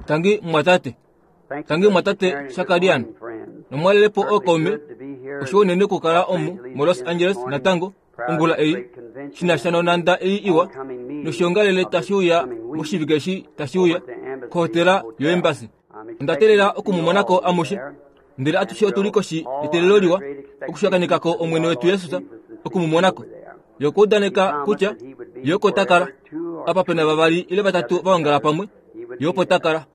Tangi mumwatate. Tangi mumwatate Shakarian. Nomwalelepo ookaume, oshiwa unene okukala omu moLos Angeles natango ongula ei, shi na sha nonhanda ei iwa noshiongalele tashi uya moshivike eshi tashi uya kohotela yoEmbassy. Onda teelela oku mu mona ko amushe. Ndele atushe otu li koshi yeteelelo liwa okushakeneka ko Omwene wetu Jesus, oku mu mona ko. Ye okwa udaneka kutya Ye oko ta kala. Apa pe na vavali ile vatatu va ongala pamwe, Ye opo ta kala.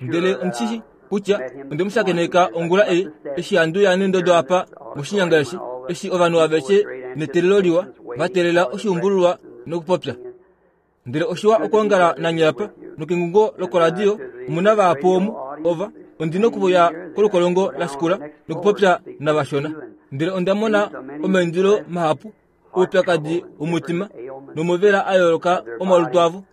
Ndele ondi shi shii kutya onde mu shakeneka ongula ei eshi handi uya neendodo apa moshinyanga eshi, eshi ovanhu aveshe neteelelo liwa va teelela oshiumbululwa nokupopya. Ndele oshiwa okwoongala nanye apa, nokengungo lokoradio omu na vahapu omu, ova, ondi nokuya kolukolongo la shikula nokupopya navashona. Ndele onda mona omaindilo mahapu oupyakadi womutima nomovela a yooloka omalutu avo.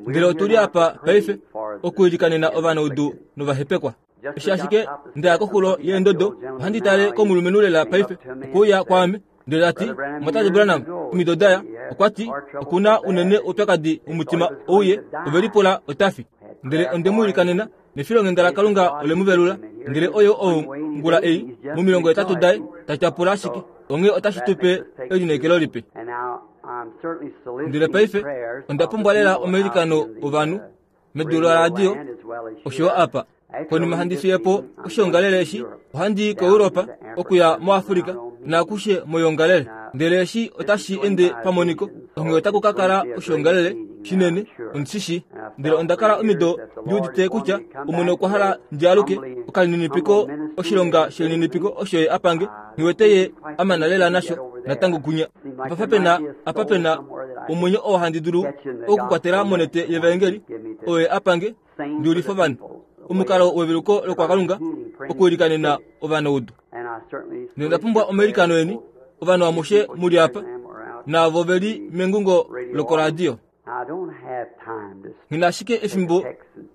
Ndele otu li apa paife okwiilikanena ovanaudu novahepekwa. Eshi ashike nda ya koxulo yeendodo, ohandi tale komulumenhu lela paife, okwe uya kwaame ndele ta ti, Mumwatate Branham, omido da ya, okwa ti, oku na unene oupyakadi womutima ouye, ove lipula ota fi. Ndele onde mu ilikanena, nefilonghenda laKalunga ole mu velula. Ndele oye ou ngula ei, momilongo hetatu daye, ta tyapula ashike. Onghee otashi tu pe elineekelo lipe. Ndele paife onda pumbwa lela omailikano ovanhu. medu loradio oshoyo apa. Konima handi fiye po oshiongalele eshi, ohandi i koEuropa, okuya moAfrika naakushe moiongalele. Ndele eshi otashi ende pamoniko, onghee otaku ka kala oshiongalele shinene, ondi shi shii. Ndele onda kala omido ndi udite kutya Omwene okwa hala ndi aluke, okalininipiko, oshilonga shelininipiko osho Ye a pange, nghi wete Ye a mana lela nasho natango kunya. Apa pe na, apa pe na omwenyo oo handi dulu okukwatela monete yevaengeli oyo ye a pange ndi ulife ovanhu omukalo weveluko lokwakalunga okuilikanena ovanaudu. Nonda pumbwa omailikano eni ovanhu amushe mu li apa naavo ve li mengungo lokoradio. Nghi na ashike efimbo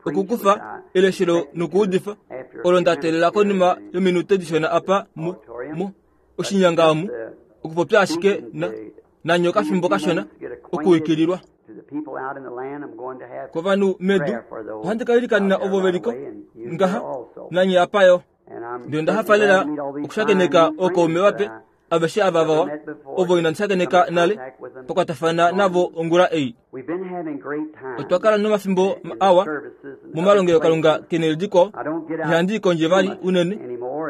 okukufa eleshelo nokuudifa olo nda teelela konima yominute dishona apa mu, mu oshinyanga omu okupopya ashike na, nanye okafimbo kashona okuwikililwa kovanhu medu ohandi ka ilikanena ovo ve liko ngaha nanye apa yo ndele onda hafa lela okushakeneka ookaume vape aveshe ava vawa ovo inandi shakeneka nale pakwatafana navo ongula ei otwa kala nomafimbo awa momalongelokalunga kene lidikwao ihandi i kondje vali unene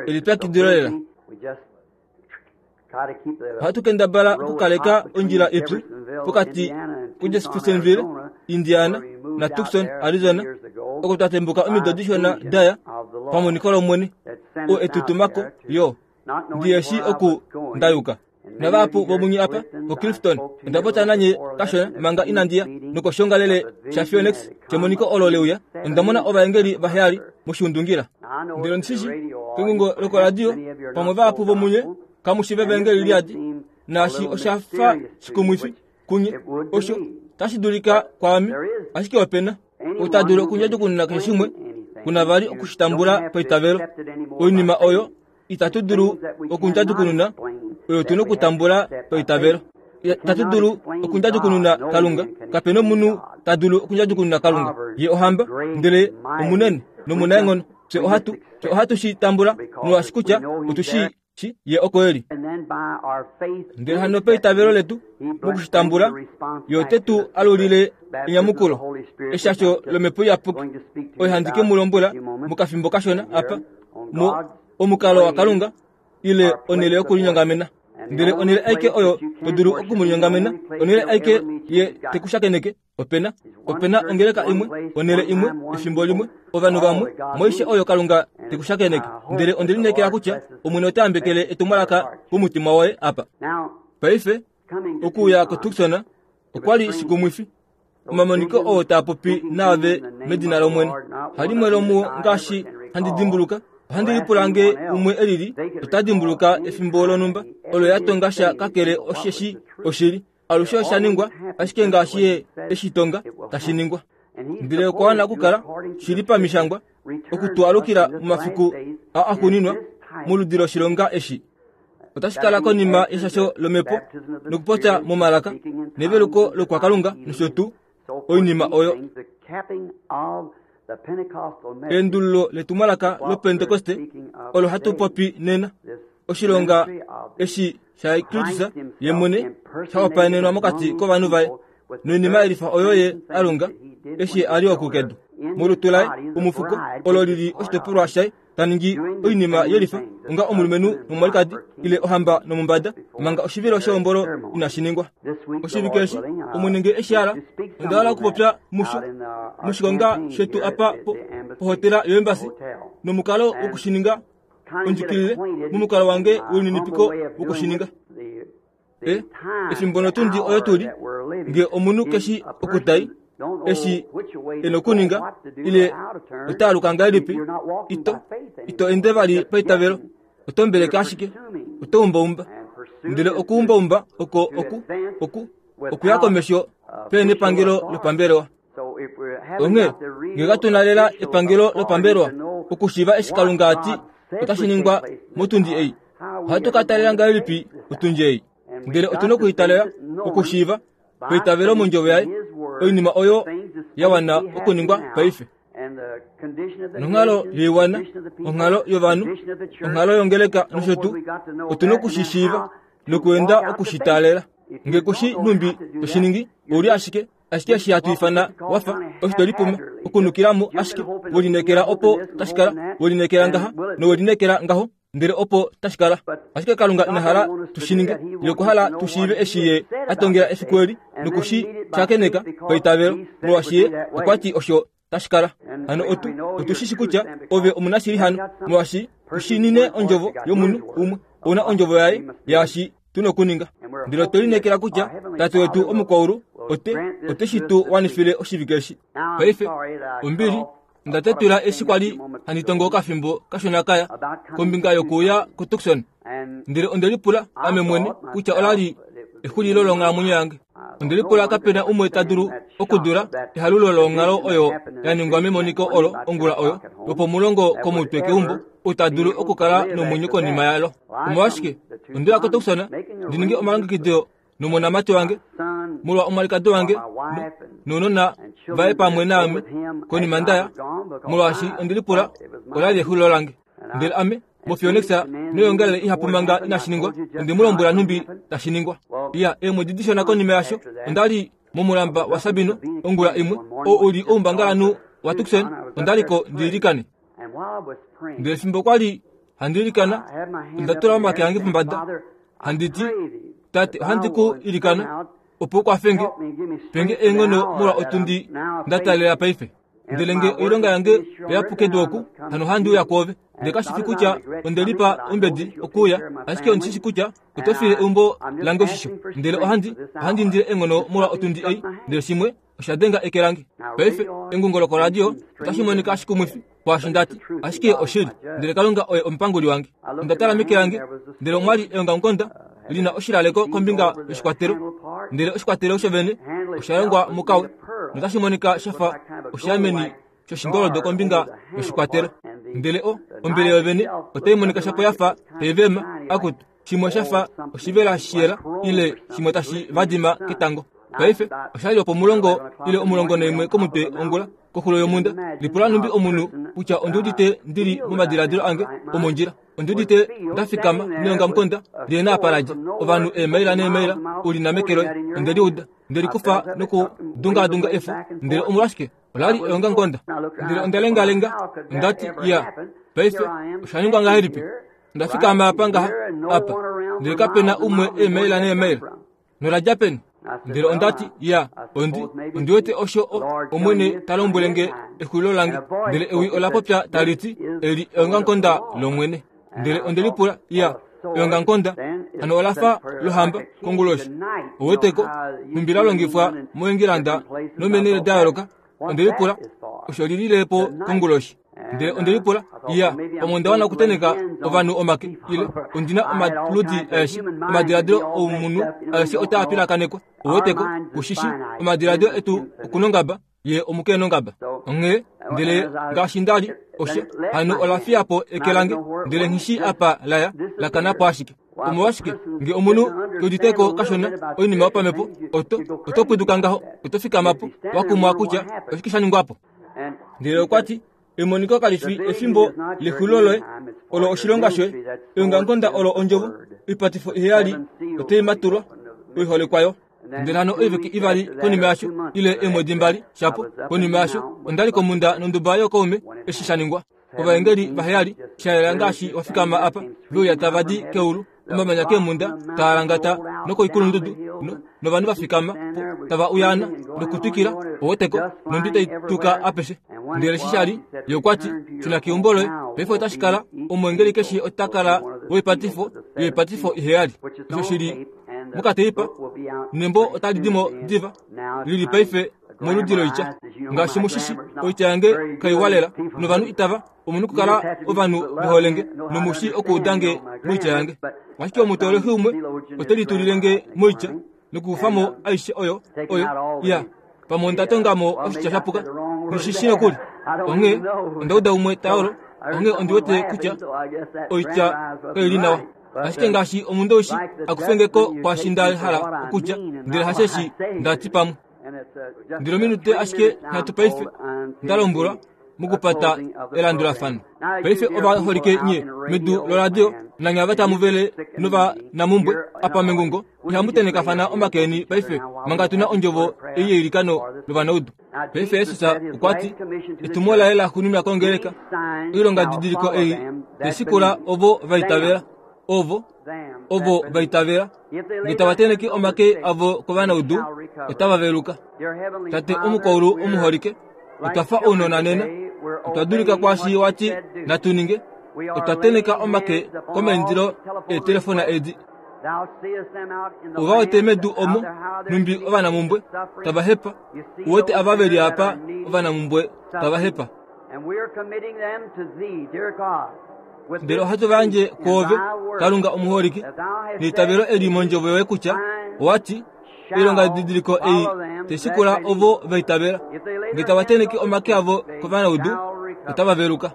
elipyakidilo lela Ohatu kendabala okukaleka ondjila ipyu pokati kuJeffersonville, Indiana naTucson, Arizona, oko twa tembuka omido dishona daya pamoniko lOmwene, oo e tu tuma ko yo. Ndi eshi oku nda yuka. Navahapu vomunye apa koClifton, onda popya nanye kashona manga inandi ya nokoshiongalele shaPhoenix shemoniko olo le uya. Onda mona ovaengeli vaheyali moshiundungila. Ndele ondi shi shii, kengungo lokoradio, pamwe vahapu vomunye kamu shi vevaengeli liadi, naashi osha fa shikumwifi kunye, osho tashi dulika kwaame, ashike ope na ou ta dulu okundjadjukununa keshe shimwe, ku na vali oku shi tambula paitavelo. Oinima oyo itatu dulu okundjadjukununa oyo tu na okutambula paitavelo. Itatu dulu okundjadjukununa Kalunga. Kape na omunhu ta dulu okundjadjukununa Kalunga. Ye ohamba, ndele omunene nomunaenghono. Fye ohatu, fye ohatu shi tambula molwaashi kutya otu shi shi Ye oko e li. Ndele hano paitavelo letu moku shi tambula, Ye ote tu alulile enyamukulo, eshasho lOmhepo Iyapuki, oyo handi ke mu lombwela mokafimbo kashona apa, mo, omukalo waKalunga ile onhele yokulinyongamena. Ndele onhele aike oyo to dulu oku mu linyongamena, onhele aike ye te ku shakeneke, ope na, ope na ongeleka imwe, onhele imwe, efimbo limwe, ovanhu vamwe, moishe oyo Kalunga te ku shakeneke. Ndele onde lineekela kutya Omwene ota yambekele etumwalaka pomutima woye apa. Paife, okuuya koTucson okwa li shikumwifi. Omamoniko oo taa popi naave medina lOmwene. Halimwe lomuo ngaashi handi dimbuluka, ohandi lipula nge umwe e lili ota dimbuluka efimbo lonhumba olo ya tonga sha kakele osheshi oshili. Alushe osha ningwa ashike ngaashi ye e shi tonga tashi ningwa. Ndele okwa wana okukala shi li pamishangwa oku tu alukila momafiku a axuuninwa moludi loshilonga eshi. Otashi kala konima yeshasho lomhepo nokupopya momalaka neveluko lokwakalunga nosho tuu oinima oyo. Eendululo letumwalaka loPentekoste olo hatu popi nena, oshilonga eshi shaKristus ye mwene sha hopaenenwa mokati kovanhu vaye, noinima yelifa oyo ye a longa eshi a li oku kedu molutu laye omufuko olo li li oshitopolwa shaye ta ningi oinima yelifa onga omulumenhu nomwalikadi ile ohamba nomumbada manga oshivilo shehombolo inashi ningwa. Oshivike eshi Omwene nge eshi hala, onda hala okupopya musho moshikonga shetu apa pohotela yoEmbassy nomukalo wokushininga ondjikilile momukalo wange welininipiko wokushininga. E, efimbo notundi oyo tu li, nge omunhu keshi okutai eshi e nokuninga ile ota aluka ngahelipi, ito, ito ende vali paitavelo, oto mbeleke ashike, oto umbaumba. Ndele okuumbaumba oko oku, oku, okuya komesho pene epangelo lopambelewa. Onghee nge katu na lela epangelo lopambelewa okushiiva eshi Kalunga a ti otashi ningwa motundi ei, ohatu ka talela ngahelipi otundi ei? Ndele otu na okuitalela okushiiva paitavelo mondjovo yaye oinima oyo ya wana okuningwa paife. Nonghalo yoiwana, onghalo yovanhu, onghalo yongeleka nosho tuu, otu na oku shi shiiva nokuenda oku shi taalela. Nge ku shi nhumbi to shi ningi, ou li ashike ashike eshi hatu ifana wa fa osho to lipuma okunukila mo ashike we lineekela opo tashi kala, we lineekela ngaha nowe lineekela ngaho, ndele opo tashi kala. Ashike Kalunga ina hala tu shi ninge. Ye okwa hala tu shiive eshi Ye a tongela efiku eli noku shi shakeneka paitavelo, molwaashi Ye okwa ti osho tashi kala. Hano otu, otu shi shi kutya ove omunashili hano, molwaashi u shi nine ondjovo yomunhu umwe. Ou na ondjovo yaye yaashi tu nokuninga. Ndele otwe lineekela kutya Tate wetu omukwaulu ote, ote shi tu wanifile oshivike eshi. Paife, ombili, onda tetula eshi kwa li handi tongo okafimbo kashona kaya kombinga yokuuya kuTucson. Ndele onde lipula ame mwene kutya ola li exulilo longhalamwenyo yange. Onde lipula kape na umwe ta dulu okudula ehalulo longhalo oyo ya ningwa memoniko olo ongula oyo lwopomulongo komutwe keumbo, ou ta dulu okukala nomwenyo konima yalo. Omolwashike onde uya koTucson ndi ninge omalongekido nomonamati wange molwa omwalikadi wange nounona vaye pamwe naame konima nda ya, molwaashi onde lipula ola li exulilo lange. Ndele ame moPhoenix noyoongalele ihapu manga inashi ningwa, onde mu lombwela nhumbi tashi ningwa. Iya, eemwedi dishona konima yasho, onda li momulamba waSabino ongula imwe, oo u li oumbangalanhu waTucson, onda li ko ndi ilikane. Ndele fimbo kwa li handi ilikana, onda tula omake ange pombada, handi ti, Tate, ohandi ku ilikana opo u kwafe nge, pe nge eenghono molwa otundi nda taalela paife. Ndele nge oilonga yange oya pu kedu oku, hano ohandi uya kwoove. Ndele kashi fi kutya onde lipa ombedi okuuya, ashike ondi shi shi kutya oto file eumbo lange oshisho. Ndele ohandi, ohandi indile eenghono molwa otundi ei. Ndele shimwe osha denga eke lange. Paife, engungo lokoradio otashi monika shikumwifi kwaasho nda ti, ashike oshili. Ndele Kalunga oye omupanguli wange. Onda tala meke lange, ndele omwa li eongamukonda li na oshilaleko kombinga yoshikwatelo, ndele oshikwatelo shovene osha longwa mukawe, notashi monika sha fa oshiameni shoshingoldo kombinga yoshikwatelo. Ndele o, ombele yovene otai monika shapo ya fa tai vema, akutu, shimwe sha fa oshivela shiyela ile shimwe tashi vadima ketango. Paife osha li opomulongo ile omulongo naimwe komutwe ongula koxulo yomhunda. Lipula nhumbi omunhu kutya ondi udite ndi li momadiladilo ange omondjila. Ondi udite nda fikama neongamukonda li na apa la dja ovanhu eemaila neemaila u li na meke loye. Onde li uda, nde li kufa nokudungaadunga efo, ndele omolwashike ola li eongamukonda. Ndele onda lengalenga, onda ti, Ya, paife osha ningwa ngahelipi? Onda fikama apa ngaha apa, ndele kape na umwe eemaila neemaila. Nola dja peni? Ndele onda ti, Ya, ondi, ondi wete osho o, Omwene ta lombwele nge exulilo lange. Ndele ewi ola popya tali ti, Eli eongamukonda lOmwene. Ndele onde lipula, Ya, eongamukonda hano ola fa lohamba konguloshi. Ouweteko, nhumbi la longifwa moEngilanda nomeenhele da yooloka. Onde lipula, Osho li lile po konguloshi? Ndele onde lipula, Ya, pamwe onda wana okutenheka ovanhu omake, ile ondi na omaludi aeshe, omadiladilo oumunhu aeshe otaa pilakanekwa. Ouweteko, ku shi shi, omadiladilo etu okunongaba, ye omukeenongaba. Onghee, ndele ngaashi nda li, osha, hano ola fiya po eke lange, ndele nghi shii apa la ya, la kana po ashike. Omolwashike nge omunhu ke udite ko kashona oinima yopamhepo, oto, oto pwiduka ngaho, oto fikama po, wa kumwa kutya oshike sha ningwa po. Ndele okwa ti, Emoniko kali fi efimbo lexulilo loye, olo oshilonga shoye. Eongamukonda olo ondjovo, oipatifo iheyali otai matulwa, oiholekwa yo. Ndele hano oivike ivali konima yasho, ile eemwedi mbali, shapo, konima yasho, onda li komhunda nonduba yookaume eshi sha ningwa. Ovaengeli vaheyali, sha yela ngaashi wa fikama apa, ve uya tava di keulu, omamanya keemhunda taa langata nokoikulundudu, no, novanhu va fikama po tava uyaana nokutwikila, oweteko, nondwi tai tuka apeshe. Ndele eshi sha li, ye okwa ti, Shuna keumbo loye. Paife otashi kala, omweengeli keshe ota kala woipatifo yoipatifo iheyali. Osho shi li mokateipa, nembo otali di mo diva, li li paife moludi loitya. Ngaashi mu shi shi, oitya yange kaiwa lela, novanhu itava, omu nokukala ovanhu ve hole nge, nomu shii okuuda nge moitya yange. Ashike omutoolexi umwe ote litulile nge moitya nokukufa mo aishe oyo, oyo, ya, pamwe onda tonga mo oshitya sha puka, nghi shi nokuli. Onghee onda uda umwe ta yolo, onghee ondi wete kutya oitya kai li nawa. Ashike ngaashi omundowishi a kufe nge ko kwaashi nda hala okutya, ndele hasheshi nda ti pamwe. Ndele ominute ashike nhatu paife, nda lombwelwa mokupata elandulafano. Paife ovaholike nye medu loradio nanye ava tamu vele novanamumbwe apa mengungo, ihamu tenekafana omake eni paife manga tu na ondjovo ei yeilikano lovanaudu. Paife Jesus okwa ti etumo laye la xuuninwa kongeleka, oilongadidiliko ei teshikula ovo va itavela, ovo ovo va itavela nge tava teneke omake avo kovanaudu otava veluka. Tate omukwaulu omuholike, otwa fa ounona nena, otwa dulika kwaashi wa ti natu ninge, otwa teneka omake komaindilo eetelefona edi. Ova wete medu omo nhumbi ovanamumbwe tava hepa, u wete ava ve li apa ovanamumbwe tava hepa. Ndele ohatu va yandje kwoove, Kalunga omuholike, neitavelo eli mondjovo yoye kutya owa ti, oilongadidiliko ei tai shikula ovo va itavela, nge tava tenheke omake avo kovanaudu, otava veluka.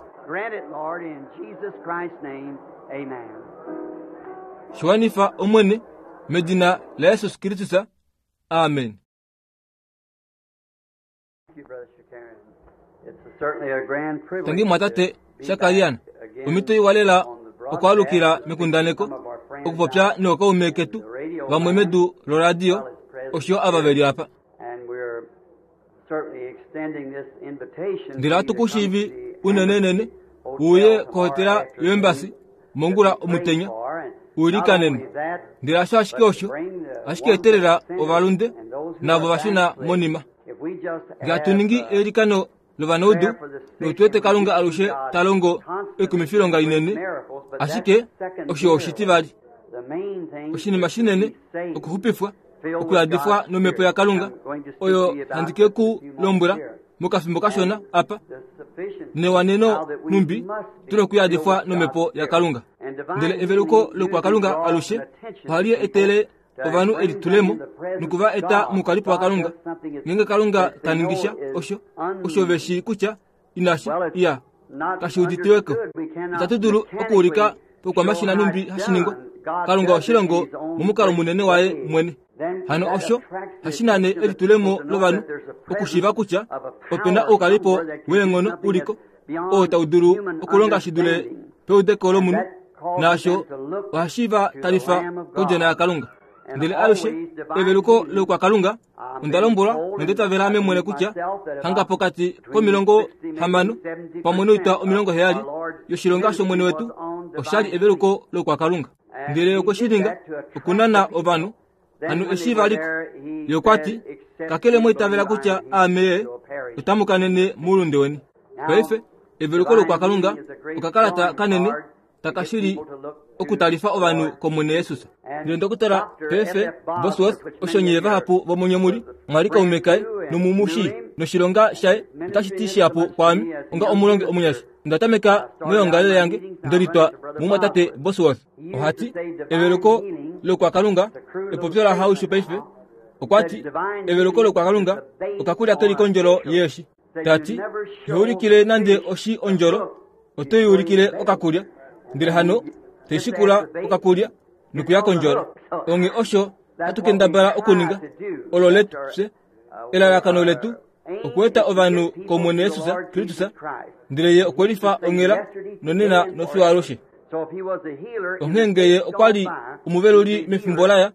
Shi wanifa, Omwene, medina laJesus Kristus. Amen. Tangi mwatate Shakarian, omhito iwa lela okwaalukila mekundaneko okupopya nookaume ketu vamwe medu loradio osho ava ve li apa. Ndele ohatu ku shiivi unenenene u uye kohotela yoembasi mongula omutenya u ilikanenwe. Ndele hasho ashike osho, ashike etelela ovalunde navo va shuna monima. Nge hatu ningi eilikano lovanaudu, notu wete Kalunga alushe ta longo oikumifilonga inene, ashike osho oshitivali. Oshinima shinene okuxupifwa, okuyadifwa nomhepo yaKalunga, oyo handi ke ku lombwela mokafimbo kashona apa, newaneno nhumbi tu nokuyadifwa nomhepo yaKalunga. Ndele eveluko lokwaKalunga alushe ohali etele ovanhu elitulemo noku va eta moukalipo waKalunga. Ngeenge Kalunga ta ningi sha osho, osho ve shii kutya inashi iya, kashi uditiwe ko. Itatu dulu okuulika pokwamashina nhumbi hashi ningwa. Kalunga ohe shi longo momukalo munene waye mwene. Hano osho hashi nane elitulemo lovanhu okushiiva kutya ope na oukalipo weenghono uliko oo tau dulu okulonga shi dule peudeko lomunhu, naasho ohashi va talifa kOdjona yaKalunga. Ndele alushe eveluko loukwakalunga onda lombwelwa nonda itavela ame mwene kutya hanga pokati komilongo hamano pamwe noitwa 70 yoshilonga shOmwene wetu osha li eveluko loukwakalunga. Ndele okwe shi ninga okunana ovanhu hano eshi va li ko. Ye okwa ti, Kakele mwa itavela kutya aame Ye, otamu kanene moulunde weni. Paife, eveluko loukwakalunga okakalata kanene taka shili okutalifa ovanhu kOmwene Jesus. Ndele Ndokotola P.F. Bosworth, osho nye vahapu vomunye mu li, mwa li kaume kaye nomu mu shii, noshilonga shaye otashi ti shihapu kwaame onga omulongi omunyasha. Onda tameka moyoongalele yange nde litwa mumwatate Bosworth. Oha ti, Eveluko lokwakalunga, epopyo laHaushu paife, okwa ti, Eveluko lokwakalunga okakulya ke li kondjolo yeeshi. Ta ti, Iho ulikile nande oshi ondjolo, oto i ulikile okakulya. Ndele hano, te shikula okakulya. nokuya kondjolo. Onghee osho hatu kendabala okuninga, olo letu, fye, elalakano letu okueta ovanhu kOmwene Jesus Kristus, ndele Ye okwe lifa onghela nonena nofiyo alushe. Onghee nge Ye okwa li omuveluli mefimbo laya,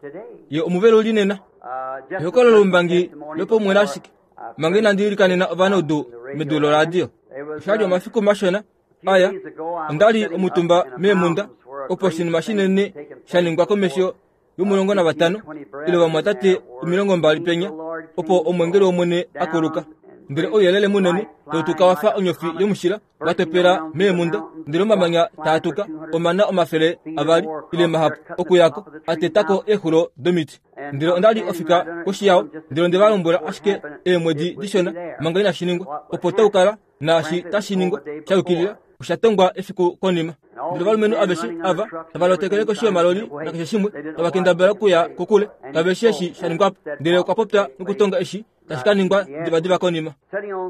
Ye omuveluli nena. Ehokololo loumbangi lopaumwene ashike, manga inandi ilikanena ovanaudu medu loradio. Osha li omafiku mashona aya, onda li omutumba meemhunda opo oshinima shinene sha ningwa komesho yomulongo navatano ile ovamwatate 20 penya, opo omwengeli wOmwene a kuluka. Ndele ouyelele munene tau tuka wa fa onyofi yomushila wa topela meemhunda, ndele omamanya taa tuka omana 200 ile mahapu okuya ko, a teta ko eexulo domiti. Ndele onda li ofika koshi yao, ndele onde va lombwela ashike eemwedi dishona manga inashi ningwa, opo tau kala naashi tashi ningwa sha yukilila osha tongwa efiku konima. Ndele ovalumenhu aveshe ava tava lotekele koshi yomaloli nakeshe shimwe, tava kendabala okuya kokule, kave shii eshi sha ningwa po. Ndele okwa popya nokutonga eshi tashi ka ningwa divadiva konima.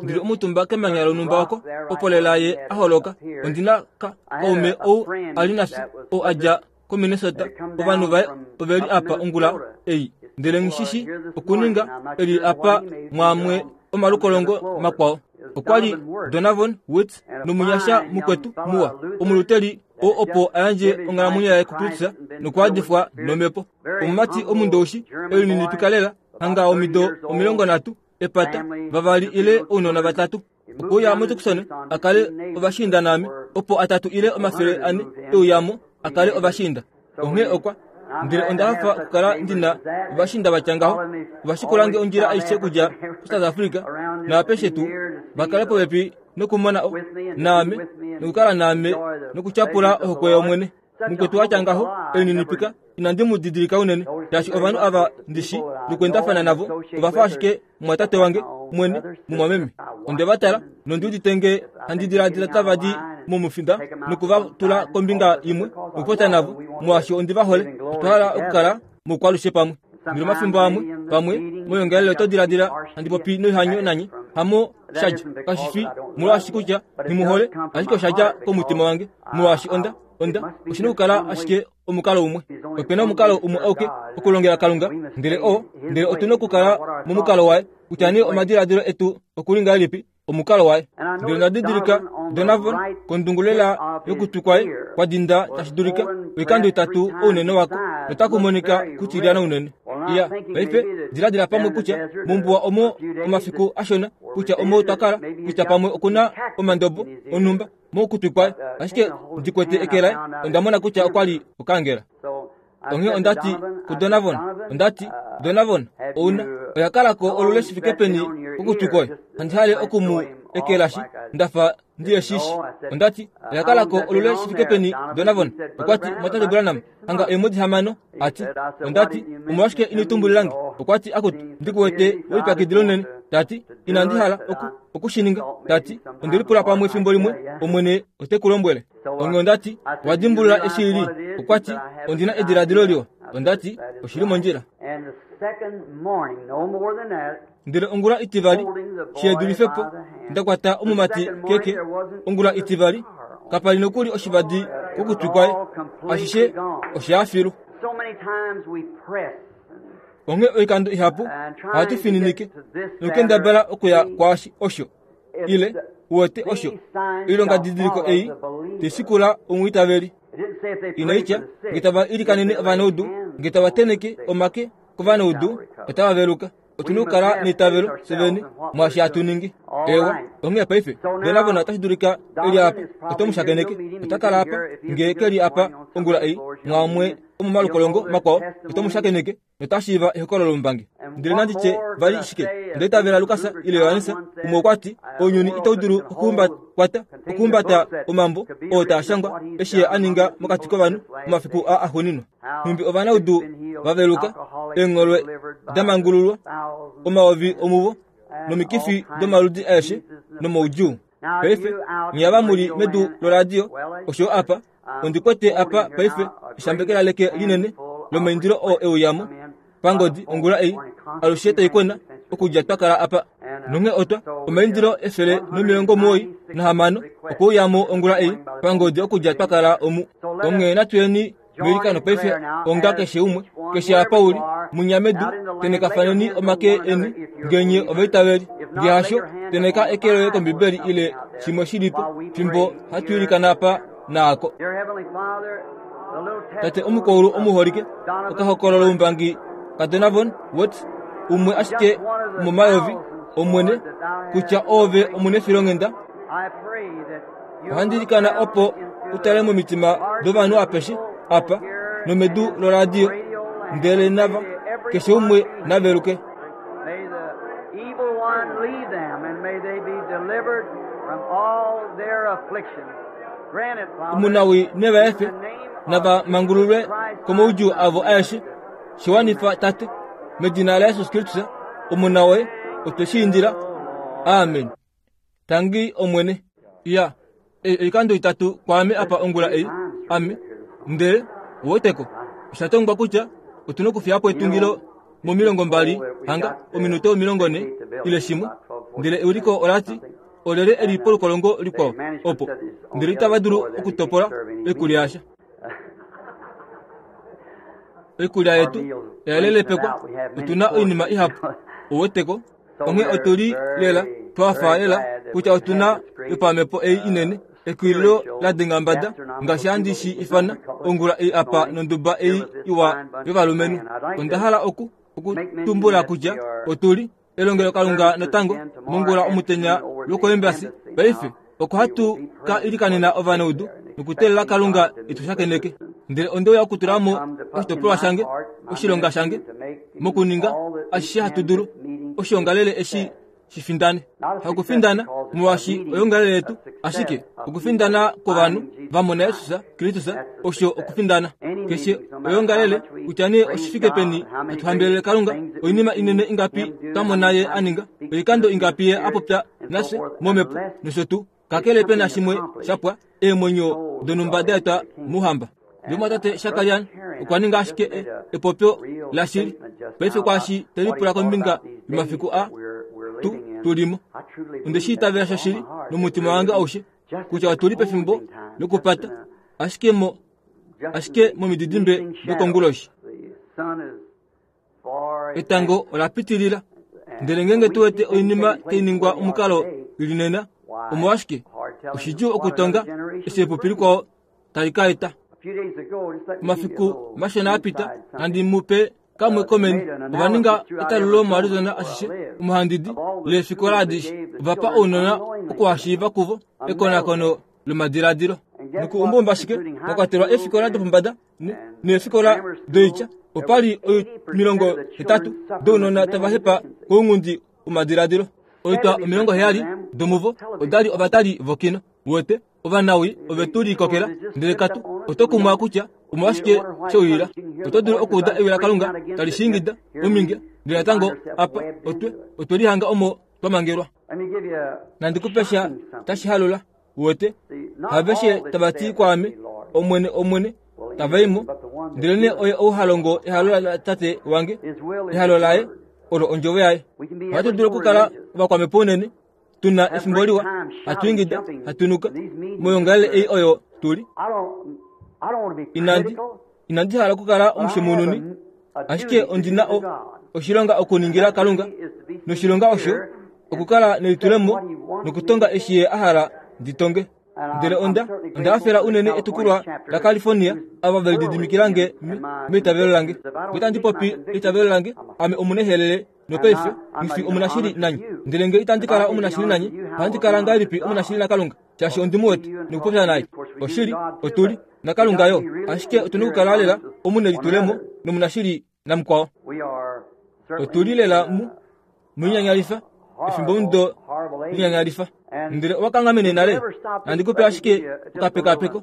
Ndili omutumba kemanya lonhumba oko, opo lela ye a holoka. Ondi na ka, kaume ou a li nafye, ou a dja koMinnesota. Ovanhu vaye ove li apa ongula ei. Ndele nghi shi shi okuninga, e li apa mwaamwe omalukolongo makwao. Okwa li Donavon Woods nomunyasha mukwetu muwa, omuluteli oo opo a yandje onghalamwenyo yaye kuKristus nokuadifwa nomhepo. Omumati omundoushi, elininipika lela, hanga omido 30, epata, vavali ile ounona vatatu. Okwe uya muTucson a kale ovashiinda naame, opo atatu ile 400 e uya mo a kale ovashiinda. Onghee okwa ndele onda hafa okukala ndi na ovashiinda va tya ngaho. Ova shikula nge ondjila aishe okudja kuSouth Africa naapeshe tuu, va kale popepi nokumona o, naame, nokukala naame nokutyapula ohokwe yOmwene. Mukwetu wa tya ngaho, elininipika, inandi mu didilika unene, shaashi ovanhu ava ndi shi nokuendafana navo ova fa ashike mumwatate wange mwene, mumwameme. Onde va tala, nondi udite nge handi diladila tava di momufinda noku va tula kombinga imwe nokupopya navo, molwaashi ondi va hole. Otwa hala okukala moukwalushe pamwe. Ndele omafimbo amwe, pamwe, moyoongalele oto diladila handi popi noihanyo nanye, hamo sha dja. Kashi fi molwaashi kutya nghi mu hole, ashike osha dja komutima wange, molwaashi onda, onda, oshi na okukala ashike omukalo umwe. Ope na omukalo umwe auke okulongela Kalunga, ndele oo, ndele otu na okukala momukalo waye, kutya nee omadiladilo etu oku li ngahelipi, omukalo waye. Ndele onda didilika Donavon kondungu lela yokutwi kwaye kwa dinda tashi dulika oikando itatu ounene wako, notaku monika kutilyana unene. Iya, paife diladila pamwe kutya mombuwa omo omafiku ashona kutya omo twa kala, kutya pamwe oku na omandobo onhumba mokutwi kwaye, ashike ndi kwete eke laye, onda mona kutya okwa li okangela. Onghee onda ti kuDonavon, onda ti, Donavon, ouna oya kala ko olule shi fike peni kokutwi kwoye? Handi hale oku mu ekelashi nda fa ndi yeshishi. Onda ti, Oya kala ko olule shi fike peni, Donavon? Okwa ti, Mwatate Branham, hanga eemwedi hamano. A ti, onda ti, Omolwashike ino tumbulila nge? Okwa ti, Akutu, ndi ku wete we lipyakidila unene. Ta ti, Inandi hala oku, oku shi ninga. Ta ti, Onde lipula pamwe efimbo limwe Omwene ote ku lombwele. Onghee onda ti, Wa dimbulula eshi i li? Okwa ti, Ondi na ediladilo liwa. Onda ti, Oshi li mondjila. Ndele ongula itivali, shi dulife po, nda kwata omumati keke. Ongula itivali, kapa li nokuli oshivadi kokutwi kwaye. Ashishe osha filu. Onghee oikando ihapu ohatu fininike nokukendabala okuya kwaashi osho ile uwete osho oilongadidiliko ei tai shikula omwiitaveli. Inai tya nge tava ilikanene ovanaudu, nge tava tenheke omake kovanaudu otava veluka. Otu na okukala neitavelo fye vene mwaashi hatu ningi. Eewa, onghee paife, Donavon otashi dulika e li apa, oto mu shakeneke. Ota kala apa, nge ke li apa ongula ei, mwaamwe omomalukolongo makwao, oto mu shakeneke nota shiiva ehokololo lombangi. Ndele nandi tye vali shike? Onda itavela Lukas ile Johannes, umwe okwa ti, Ounyuni itau dulu okukwata okuhumbata omambo oo taa shangwa eshi ye a ninga mokati kovanhu momafiku aa axuuninwa. Nhumbi ovanaudu va veluka, eengholwe da mangululwa, omayovi omuvo, nomikifi domaludi aeshe nomaudjuu. Paife, nye ava mu li medu loradio, osho yo apa, ondi kwete apa paife eshambekela leke linene lomaindilo oo e uyamo pangodi ongula ei, alushe tai kwena okudja twa kala apa. Nonghee otwa, omaindilo 196 okwe uyamo ongula ei pangodi okudja twa kala omu. Onghee natu yeni. Meilikano paife onga keshe umwe, keshe apa u li, munya medu, tenekafaneni omake eni, nge nye ovaitaveli. Nge hasho, teneka eke loye kOmbibeli ile shimwe shi li po, fimbo hatu ilikana apa naako. Tate omukwaulu omuholike, okahokololoumbangi kaDonavon Weerts, umwe ashike womomayovi, Omwene, kutya Oove omunefilonghenda. Ohandi ilikana opo u tale momitima dovanhu apeshe apa nomedu loradio, ndele nava, keshe umwe na veluke. Omunawii ne va efe, nava mangululwe komaudjuu avo aeshe. Shi wanifa, Tate, medina laJesus Kristus, Omona woye, otwe shi indila. Amen. Tangi Omwene. Iya, ei oikando itatu kwaame apa ongula ei. Ame, ndele, uweteko, osha tongwa kutya otu nokufiya po etungilo momilongombali hanga ominute omilongone ile shimwe. Ndele euliko ola ti, Olyelye e li polukolongo likwao opo? Ndele itava dulu okutopola oikulya yasha. Oikulya yetu oya lelepekwa, otu na oinima ihapu, uweteko. Onghee otu li lela twa fa lela kutya otu na yopamhepo ei inene, ekwililo la denga mbada, ngaashi handi shi ifana, ongula ei apa nonduba ei iwa yovalumenhu. Onda hala oku, oku tumbula kutya otu li elongelokalunga natango mongula omutenya lwokoembasi. Paife oko hatu ka ilikanena ovanaudu nokuteelela Kalunga e tu shakeneke. Ndele onde uya okutula mo oshitopolwa shange, oshilonga shange, mokuninga ashishe hatu dulu oshiongalele eshi shi findane. Hakufindana molwaashi oyoongalele yetu, ashike okufindana kwovanhu va mona Jesus Kristus osho okufindana. Keshe oyoongalele, kutya nee oshi fike peni hatu hambelele Kalunga, oinima inene ingapi twa mona Ye a ninga, oikando ingapi Ye a popya nafye momhepo nosho tuu, kakele pe na shimwe sha pwa, eemwenyo donhumba da etwa mOuhamba. Omumwatate Shakarian okwa ninga ashike e, epopyo lashili paife kwaashi te lipula kombinga yomafiku a tu tu li mo. Onde shi itavela shoshili nomutima wange aushe kutya otu li pefimbo lokupata, ashike mo ashike momididimbe dokonguloshi. Etango ola pitilila. Ndele ngeenge tu wete oinima tai ningwa omukalo i li nena, omolwashike oshidjuu okutonga eshi epupi likwao tali ka eta. Omafiku mashona a pita, nandi mu pe kamwe komeni, ova ninga etalulo moArizona ashishe, omohandidi leefikola adishe. Ova pa ounona okuhashiiva kuvo ekonakono lomadiladilo. Nokuumbaumba ashike, mwa kwatelwa eefikola dopombada neefikola doitya, opa li 80 dounona tava hepa kounghundi womadiladilo. Oitwa 70 domuvo oda li ovatali vokino. Uwete, ovanawii ove tu likokela, ndele katu. Oto kumwa kutya omolwashike she uyila. Oto dulu okuuda ewi laKalunga tali shiingida ominge, ndele natango apa otwe, otwe lihanga omo twa mangelwa. Nandi ku pe sha tashi halula. Uwete, haveshe tava ti kwaame, Omwene, Omwene, tava i mo, ndelenee oye ou ha longo ehalo laTate wange, ehalo laye olo ondjovo yaye. Ohatu dulu okukala ovakwamhepo unene, tu na efimbo liwa, hatu ingida, hatu nuka, moyoongalele ei oyo tu li. Inandi, inandi hala okukala omushemununi, ashike ondi na o, oshilonga okuningila Kalunga, noshilonga osho okukala nelitulemo nokutonga eshi Ye a hala ndi tonge. Ndele onda, onda hafela unene etukulwa laCalifornia, ava ve lididimikila nge meitavelo lange. Nge itandi popi eitavelo lange, ame omunehelele nopaife nghi fi omunashili nanye. Ndele nge itandi kala omunashili nanye, ohandi kala ngahelipi omunashili naKalunga? Shaashi ondi mu wete nokupopya naye. Oshili, otu li naKalunga yo, ashike otu na okukala lela omunelitulemo nomunashili namukwao. Otu li lela mu munyanyalifa, efimbomudo linyanyalifa. Ndele owa kanghamene nale. Nandi ku pe ashike okapekapeko.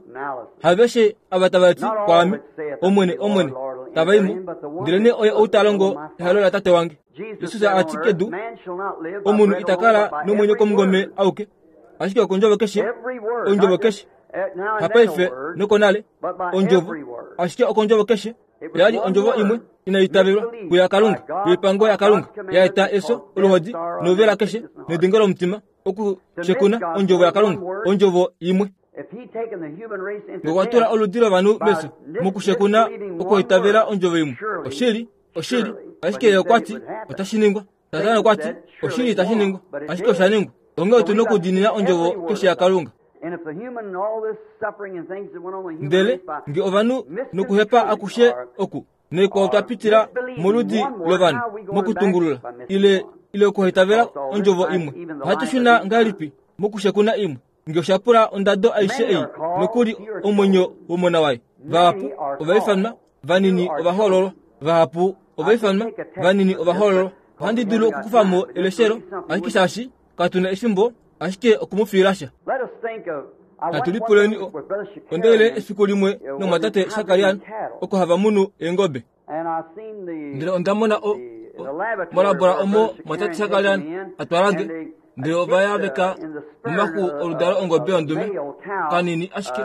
Haveshe ava tava ti kwaame, Omwene, Omwene, tava i mo, ndelenee oye ou ta longo ehalo laTate wange. Jesus a ti kedu, Omunhu ita kala nomwenyo komungome auke, ashike okondjovo keshe, ondjovo keshe, hapaife nokonale, ondjovo, ashike okondjovo keshe. Oya li ondjovo imwe inai itavelwa kuyaKalunga, yoipango yaKalunga, ya eta efyo, oluhodi, nouvela keshe, nedingo lomutima, okushekuna ondjovo yaKalunga, ondjovo imwe. Ngokwa tula oludi lovanhu mefyo mokushekuna okwoitavela ondjovo imwe. Oshili, oshili, ashike ye okwa ti otashi ningwa. Satana okwa ti oshili itashi ningwa, ashike osha ningwa. Onghee otu nokudiinina ondjovo keshe yaKalunga. Ndele nge ovanhu nokuhepa akushe oku noikwao twa pitila moludi lovanhu mokutungulula ile ile okuhaitavela ondjovo imwe, ohatu shuna ngahelipi mokushekuna imwe? Nge osha pula ondado aishe ei, nokuli omwenyo womona waye. Vahapu ova ifanwa, vanini ova hoololwa. Vahapu ova ifanwa, vanini ova hoololwa. Ohandi dulu okukufa mo eleshelo, ashike shaashi katu na efimbo, ashike oku mu fiila sha. Natu lipuleni onda ile efiku limwe nomumwatate Shakarian oko hava munu eengobe. Ndele onda mona o, molabora omo mwatate Shakarian a twala nge, ndele ova yaveka momaxu oludalo ongobe yondume, kanini ashike,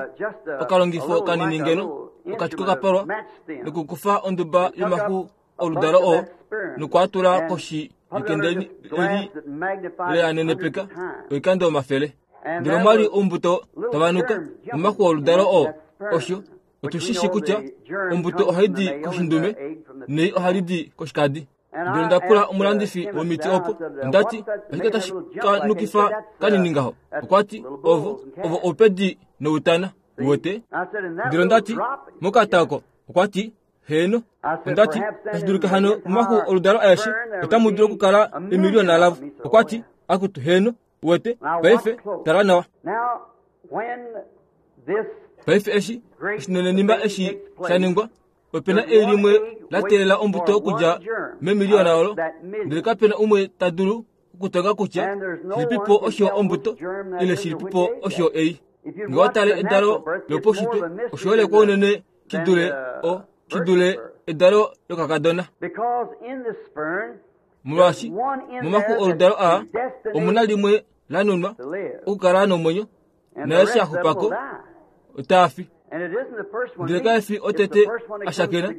okalongifo kanini ngeno, okati kokapalwa, nokukufa onduba yomaxu oludalo oo nokwa tula koshi yekende eli leanenepeka oikando omafele. Ndele omwa li oumbuto tava nuka momaxu oludalo oo. Osho otu shi shi kutya ombuto ohai di koshindume nei ohali di koshikadi. Ndele onda pula omulandifi womiti opo, onda ti, Oshike tashi ka nukifa kanini ngaho? Okwa ti, Ovo, ovo oupedi noutana. Uwete? Ndele onda ti, Mokata oko. Okwa ti, Heeno, onda ti, tashi dulika hano momaxu oludalo aeshe otamu dulu okukala emiliyona lavo. Okwa ti, Akutu, heeno, uwete, paife, tala nawa. Paife eshi oshinenenima eshi sha ningwa, ope na ei limwe la teelela ombuto okudja memiliyona olo, ndele kape na umwe ta dulu okutonga kutya shilipipo osho ombuto ile shilipipo osho ei. Nge owa tale edalo lopaushitwe, oshoolekwa unene shi dule o shi dule edalo lokakadona. Molwaashi momaxu oludalo aa omu na limwe la nunwa okukala nomwenyo, naeshi a xupa ko otaa fi. Ndele kae fi otete a shakena,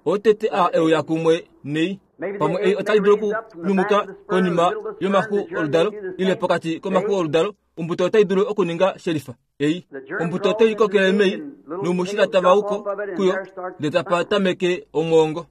otete a euya kumwe nei. Pamwe ei otai dulu okunyumuka konima yomaxu oludalo ile pokati komaxu oludalo. Ombuto otai dulu okuninga shelifa ei. Ombuto otai kokele mei noumushila tava uko kuyo ndele tapa tameke omwoongo.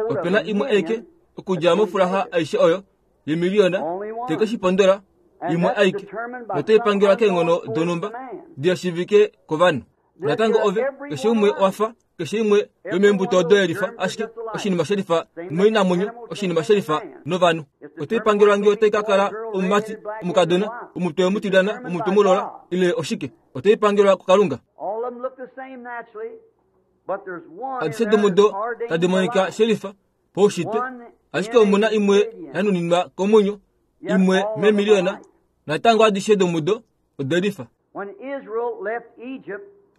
Ope na imwe aike okudja mofulaha aishe oyo yemiliyona te ke shi pondola, imwe aike, notai pangelwa keenghono donhumba di shiivike kovanhu. Natango ove, keshe umwe owa fa keshe imwe yomeembuto odo yelifa, ashike oshinima shelifa noinamwenyo, oshinima shelifa novanhu. Otai pangelwa nge otai ka kala omumati, omukadona, omutwe mutilyana, omutwe mulola, ile oshike. Otai pangelwa kuKalunga. Adishe domudo tadi monika shelifa paushitwe, ashike omu na imwe ya nuninwa komwenyo, imwe meemiliyona, natango adishe domudo ode lifa.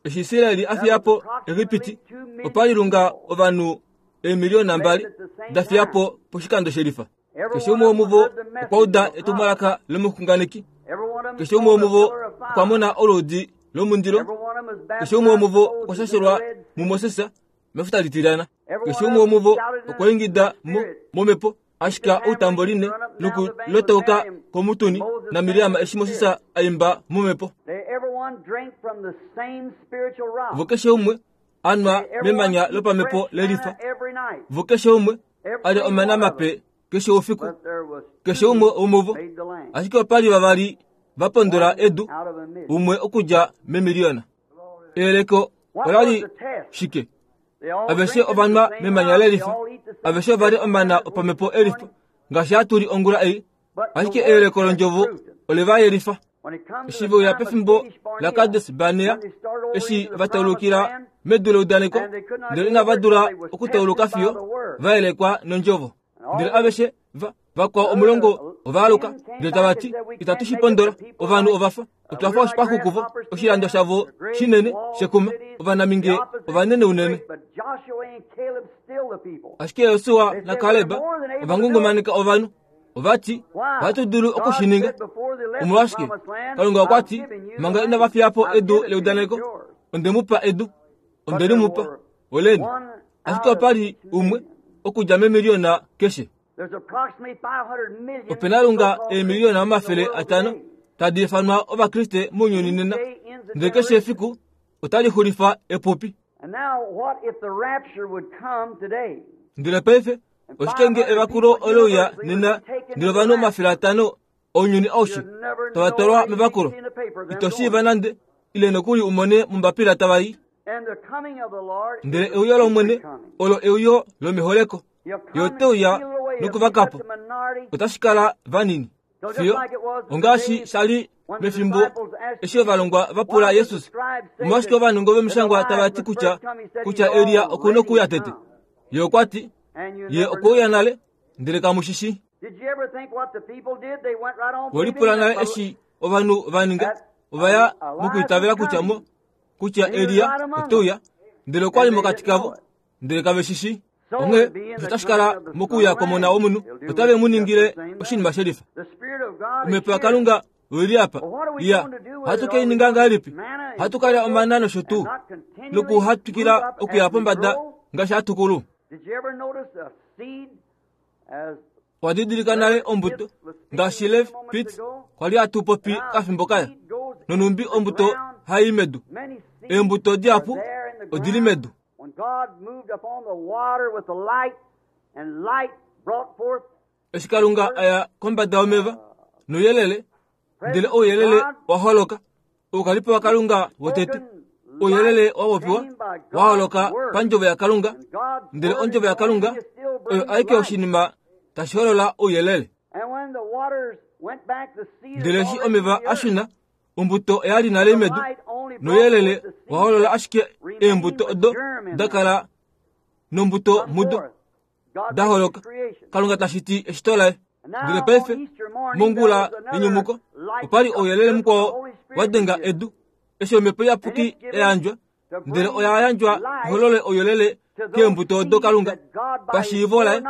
Eshi Israel a fiya po Egipiti, opa li lunga ovanhu eemiliyona mbali da fiya po poshikando shelifa. Keshe umwe womuvo okwa uda etumwalaka lomuxunganeki. Keshe umwe womuvo okwa mona oluudi lomundilo. Keshe umwe womuvo okwa shashelwa muMoses mefuta litilyana. Keshe umwe womuvo okwa ingida mo momhepo ashika outamboline nokulotauka komutuni naMiriam eshi Moses a imba momhepo. Vo keshe umwe a nwa memanya lopamhepo lelifa. Vo keshe umwe a lya omana mape keshe oufiku, keshe umwe womuvo. Ashike opa li vavali va pondola edu, umwe okudja memiliyona. Eyeleko ola li shike? Aveshe ova nwa memanya lelifa. Aveshe ova li omana opamhepo elifa, ngaashi hatu li ongula ei. Ashike eyeleko londjovo ole va yelifa. Eshi ve uya pefimbo laKades Barnea, eshi va taulukila medu leudaneko, ndele inava dula okutauluka fiyo va yelekwa nondjovo. Ndele aveshe va vakwao omulongo ova aluka ndele tava ti, Itatu shi pondola, ovanhu ova fa otwa fa oshipaxu kuvo, oshilando shavo shinene shekuma, ovanamhinge ovanene unene. Ashike Josua naKaleb ova ngungumaneka ovanhu, ova ti, Ohatu dulu oku shi ninga. Omolwashike? Kalunga okwa ti, manga inava fiya po edu leudaneko, onde mu pa edu, onde li mu pa, oleni. Ashike opa li umwe okudja memiliyona keshe. Ope na lunga eemiliyona 500. tadi ifanwa Ovakriste mounyuni nena, ndele keshe efiku otali xulifa epupi. Ndele paife, oshike nge evakulo ole uya nena ndele ovanhu 500 ounyuni aushe tava twalwa mevakulo? Ito shiiva nande, ile nokuli u mone mombapila tava i. Ndele euyo lOmwene olo euyo lomeholeko. Ye ote uya nokuvaka po. Otashi kala vanini. Fiyo ongaashi sha li mefimbo eshi ovalongwa va pula Jesus, omolwashike ovanongo vomishangwa tava ti kutya kutya Elia oku nokuuya tete? Ye okwa ti, Ye okwe uya nale, ndele kamu shi shii. We lipula nale eshi ovanhu va ninga? Ova ya mokwiitavela kutya mo kutya Elia ote uya, ndele okwa li mokati kavo, ndele kave shi shii. Onghee osho tashi kala mokuuya kwOmona wOmunhu, otave mu ningile oshinima shelifa. Omhepo yaKalunga oi li apa. Iya, ohatu ke i ninga ngahelipi? Ohatu ka lya omana nosho tuu, nokuhatwikila okuya pombada ngaashi hatu kulu. Owa didilika nale ombuto ngaashi Lev Pitts kwa li hatu popi kafimbo kaya, nonhumbi ombuto hai i medu. Eembuto dihapu odi li medu. Eshi Kalunga a ya kombada yomeva nouyelele, ndele ouyelele wa holoka, oukalipo waKalunga wotete, ouyelele wa popiwa wa holoka pandjovo yaKalunga, ndele ondjovo yaKalunga oyo aike oshinima tashi holola ouyelele. Ndele eshi omeva a shuna, ombuto oya li nale medu, nouyelele wa holola ashike eembuto odo da kala nombuto mudo da holoka. Kalunga ta shiti eshito laye. Ndele paife, mongula yenyumuko, opa li ouyelele mukwao wa denga edu, eshi omhepo iyapuki ya yandjwa, ndele oya yandjwa iholole ouyelele keembuto odo Kalunga, pashiivo laye,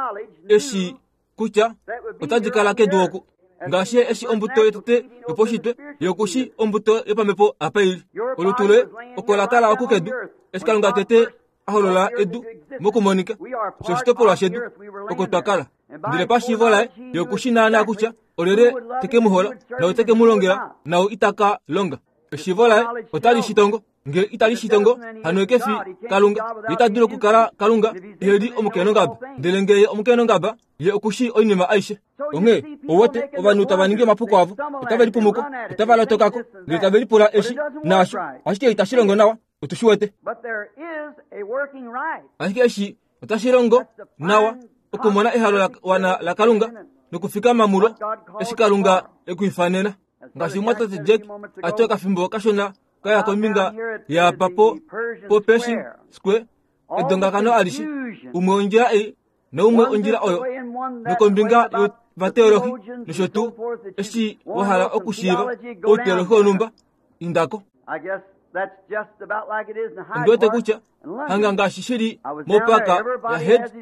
eshi kutya otadi kala kedu oku ngaashi eshi ombuto yotete yopaushitwe yokushi ombuto yopamhepo apa i li. Olutu loye oko la kala oku kedu, eshi Kalunga tete a holola edu mokumonika shoshitopolwa shedu oko twa kala. Ndele pashiivo laye ye oku shi naanaa kutya olyelye te ke mu hola nau te ke mu longela nau ita ka longa. Eshiivo laye otali shi tongo. Nge itali shi tongo, hano ye ke fi Kalunga. Ye ita dulu okukala Kalunga ehe li omukeenongaba. Ndele nge ye omukeenongaba, ye oku shii oinima aishe. Onghee, ou wete, ovanhu tava ningi omapuko avo, otave lipumuko, otava lotoka ko, ndele tave lipula eshi naasho, ashike itashi longo nawa. Otu shi wete. Ashike eshi otashi longo nawa okumona ehalo la wana laKalunga nokufikama mulo eshi Kalunga e ku ifanena. Ngaashi omumwatate Jack a ti okafimbo kashona ka ya kombinga yaapa po po Pershing Square, edongakano alishe, umwe ondjila ei naumwe ondjila oyo, nokombinga yovateolohi nosho tuu, eshi wa hala okushiiva outeolohi wonhumba, inda ko. Ondi wete kutya hanga ngaashi shi li mopaka yaHead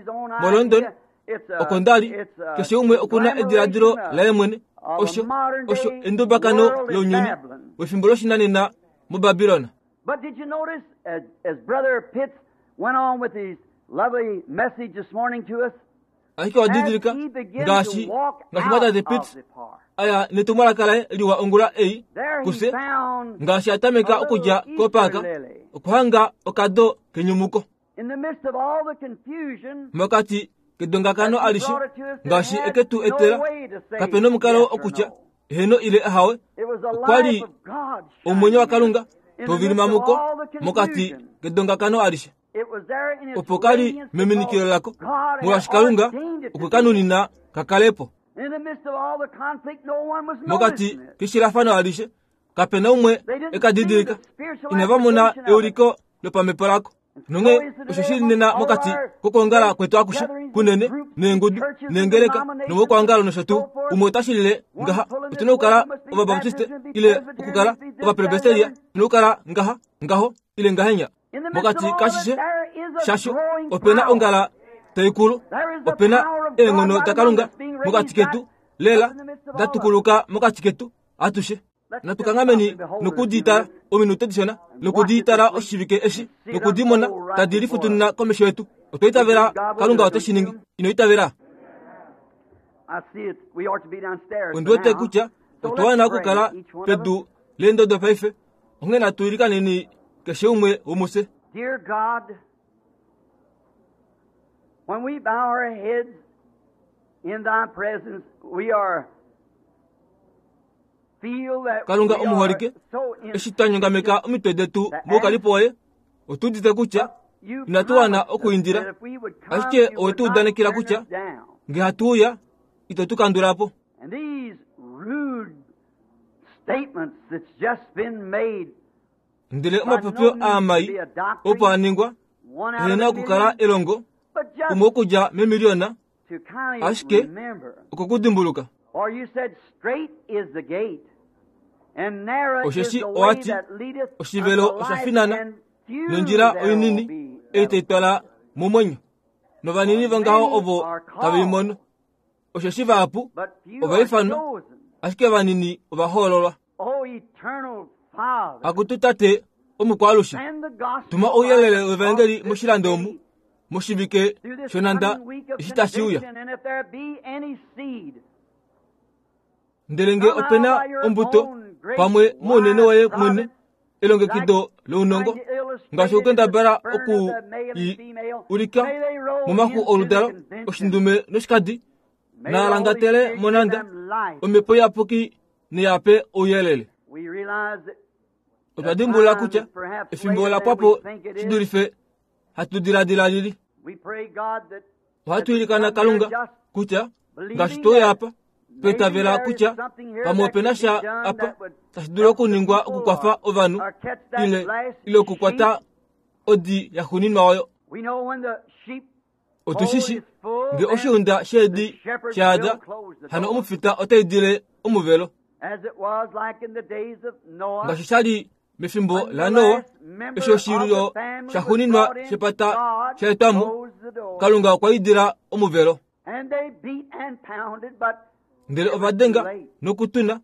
moLondon, oko nda li, keshe umwe oku na ediladilo laye mwene. Osho, osho endubakano lounyuni wefimbo loshinanena muBabilon. Ashike owa didilika ngaashi ngaashi mwatate Pitts aya netumwalaka laye liwa ongula ei kufye, ngaashi a tameka okudja kopaaka okuhanga okado kenyumuko. Mokati kedongakano alishe ngaashi eke tu etela, kape nomukalo okutya eheno ile ahawe. Okwa li omwenyo waKalunga tau vilima muko mokati kedongakano alishe. Opo ka li meminikilo lako, molwaashi Kalunga okwe ka nunina ka kale po. Mokati keshilafano alishe, kape na umwe e ka didilika. Inava mona euliko lopamhepo lako. Nonghee osho shi li nena mokati kokwoongala kwetu akushe kunene, neengudu, neengeleka, nomokwoongalo nosho tuu. Umwe ota shilile ngaha, otu na okukala Ovabaptiste, ile okukala Ovapresbiteria, otu na okukala ngaha, ngaho, ile ngahenya. Mokati kashishe shasho ope na ongala tai kulu, ope na eenghono daKalunga mokati ketu, lela da tukuluka mokati ketu atushe. Natu kanghameni noku di tala ominute dishona, noku di tala oshivike eshi, noku di mona tadi lifutunina komesho yetu. Otwa itavela Kalunga ote shi ningi. Ino itavela? Ondi wete kutya. Otwa wana okukala pedu leendodo paife, onghee natu ilikaneni keshe umwe womufye. Dear God, when we bow our heads in thy presence, we are feel that Kalunga we are omuholike, so eshi twa nyongameka omitwe detu moukalipo woye, otu udite kutya You inatu wana promised us okuindila, that if we would come, ashike you would owe tu not udanekela turn kutya us down. nge hatu uya ito tu kandula po. And these rude statements that's just been made Ndele by no omapopyo means to aamai be a doctrine, opo a ningwa one out of ehena a okukala million, elongo but just umwe okudja memiliyona to kind of ashike remember. okukudimbuluka. Or you said, straight is the gate, and narrow is Osheshi the way owati that leadeth oshivelo unto osha life, finana and few nondjila there will oinini be ei that'll tai twala momwenyo novanini For vongaho many ovo are tave i called, mono. Osheshi vahapu but few ova are ifanwa, chosen. ashike vanini ova hoololwa. O eternal Father, Akutu Tate omukwalushe, send the gospel tuma light ouyelele across wevangeli this moshilando omu city moshivike through this shonanda coming week of eshi tashi uya. conviction, and if there be any seed, Ndele nge somehow opena by your ombuto own great pamwe mounene wise woye mwene providence, elongekido like lounongo trying to illustrate ngaashi it in the okukendabala burn of oku the male and i female, ulika may they roll momaxu into the oludalo convention. oshindume noshikadi May the Holy naalangatele Spirit give monanda them life. omhepo iyapuki neyape ouyelele. We realize that Otwa the dimbulula time kutya is perhaps efimbo later ola than pwa po we think it shi is. dulife hatu diladila lili. We pray, God, that as Ohatu we ilikana come here Kalunga just kutya ngaashi believing tweuya that apa maybe tweitavela there is kutya something here pamwe that opena could be sha done apa that would tashi dulu help the okuningwa people okukwafa or, ovanhu or catch that ile last ile okukwata sheep. odi ya xuninwa oyo. We know when the sheepfold Otushishi is full, nge then oshiunda the sheedi shepherds shaada will close the hano door. omufita ota idile omuvelo. As it was like in the days of Noah, Ngaashi sha li mefimbo when the laNoa, last eshi member of the oshilyo family sha was xuninwa brought in, shepata God sha etwa mo, closed the door. Kalunga okwa idila omuvelo. And they beat and pounded, but Ndele it ova was too denga late. nokutuna,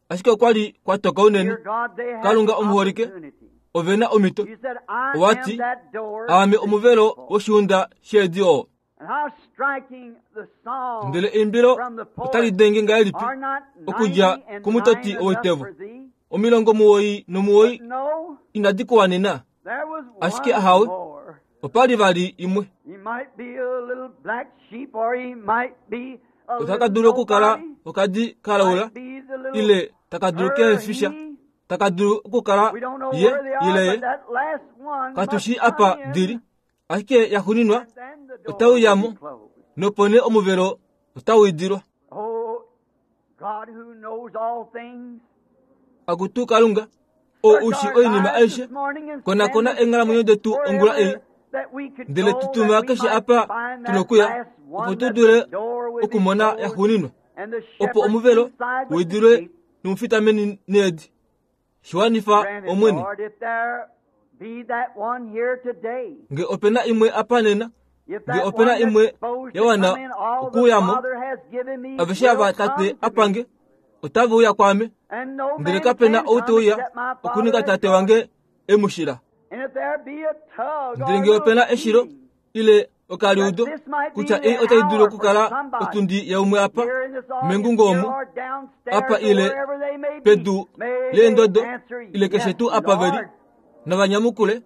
ashike okwa li kwa toka unene. Dear God, they had Kalunga the omuholike, opportunity. ove na omhito. You said, I Owa am ti, that door Aame to the omuvelo sheepfold. woshiunda sheedi oo. And how striking the song Ndele eimbilo from the otali poet, denge ngahelipi Are not okudja 99 komutoti enough woitevo. for thee? 99 But no, inadi kuwanena, there was ashike one ahawe more. opa li vali imwe. He might be a little black sheep or he might be a Otaka little dulu okukala nobody, okadi kalaula might be the little ile taka dulu her, kehefisha, he. taka dulu okukala We don't know ye where they are, ile ye. but that last one Katu must shii come apa dili, in, ashike ya xuninwa and then the door otau will be yamo closed. nopo nee omuvelo otau idilwa. Oh, God who knows all things, Akutu Kalunga, oo search ushi our oinima lives aishe, this morning and send konakona us eenghalamwenyo detu ongula ei, wherever that we could ndele go tu tuma that we keshe might apa find that tunokuya last opo one tu that the dule door would be okumona ya closed xuninwa, and the opo shepherds omuvelo inside with the widilwe sheep. nomufita meni needi. Shiwanifa Grant it, Omwene, Lord, if there be that one here today, nge opena imwe apa nena, if nge that opena one that's imwe supposed ya to wana come in, all the okuuyamo, Father has given me aveshe will ava come Tate to me. apange otave uya kwaame, And no ndele man kapena can ou te come uya except my Father okuninga has Tate drawn. wange e mu shila. And if there be a tug Ndele or a nge little opena eshilo beating, ile that okaliudo this might be kutya the ei otai dulu hour for okukala somebody otundi yaumwe apa here in this audience mengungo here omu or downstairs apa or ile wherever they may be, pedu may they leendodo answer, ile keshe Yes, tuu apa veli Lord. navanyamukule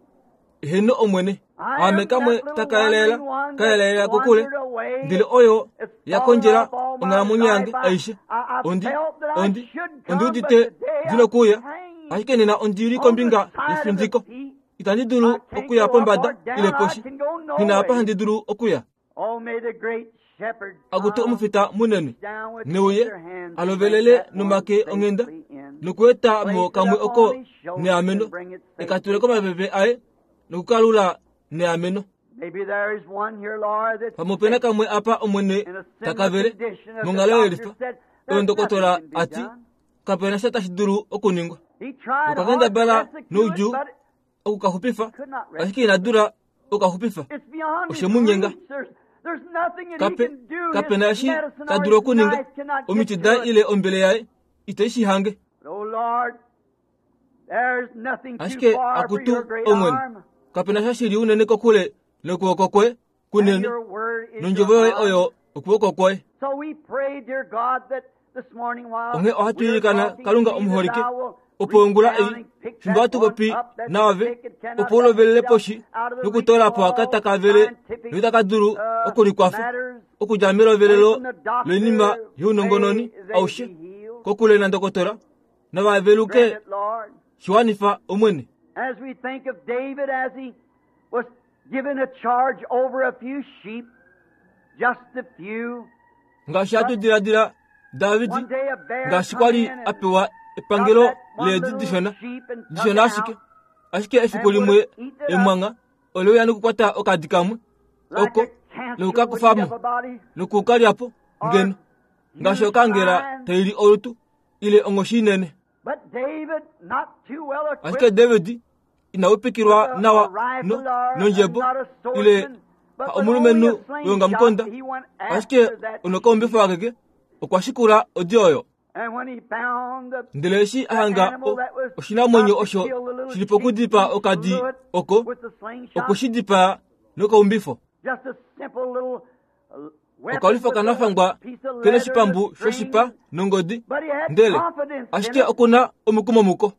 eheno Omwene. I Ame am kamwe that little takaeleela wandering one that kaeleela kokule wandered away. ndele oyo It's ya fallen kondjela off all my onghalamwenyo yange life. I, aishe. I, I Ondi felt that I ondi should ondi come, but udite today ndina I'm okuuya hanging ashike nena ondili on the kombinga side of the yefindiko. peak. Itandi dulu I can't okuya go up pombada or ile down. I poshi. can go Nghina apa nowhere. handi dulu okuya. Oh, may the great shepherd Akutu come omufita munene reach down with neuye tender hands and bring alovelele that one nomake onghenda safely in. nokueta mo Place it kamwe up oko on his shoulders neameno and bring it ekatule safely in. komapepe aye nokukalula neameno. Maybe there is one here, Lord, that's Pamwe opena sick kamwe apa Omwene in a similar takavele condition that the monghalo doctor yelifa said oyo there's nothing ndokotola can be ati done. kapena sha tashi dulu okuningwa. He tried Okwa hard to kendabala rescue it, noudjuu but okukaxupifa could not ashike rescue ina it. dula okukaxupifa. It's beyond his Oshe mu nyenga. reach. There's, there's nothing that he Kape can do. His kapena eshi medicine ta or dulu his okuninga knife cannot get omiti to daye it. ile ombele yaye ite shi hange. But, oh Lord, there's nothing too Ashike far for akutu your great Omwene, arm, kapena sha shili unene kokule nokuwoko kwoye and kunene your word is nondjovo your yoye arm. oyo okuwoko kwoye. So we pray, dear God, that Onghee ohatu ilikana Kalunga omuholike, opo ongula ei, fimbo hatu popi naave, opo u lovelele poshi nokutoola po aka taka vele noitaka dulu okulikwafa, okudja melovelelo loinima younongononi aushe, kokule nandokotola, nava veluke. Shi wanifa, Omwene. As we think of David as he was given a charge over a few sheep, just a few. Ngaashi hatu diladila David ngaashi kwa li a pewa epangelo leedi dishona, dishona ashike, ashike efiku limwe emwangha ole uya nokukwata okadi kamwe oko noku ka kufa mo noku ka lya po ngeno ngaashi okangela tai li olutu ile onghoshi inene. Ashike David ina upikilwa nawa no, nondjebo ile omulumenhu weongamukonda, ashike onokaumbifa wakeke okwa shikula odi oyo. Ndele eshi a hanga oshinamwenyo osho shi li pokudipaa okadi oko, okwe shi dipaa nokaumbifo. Okalwifo kanafangwa ke noshipambu shoshipa nongodi, ndele ashike oku na omukumo muko.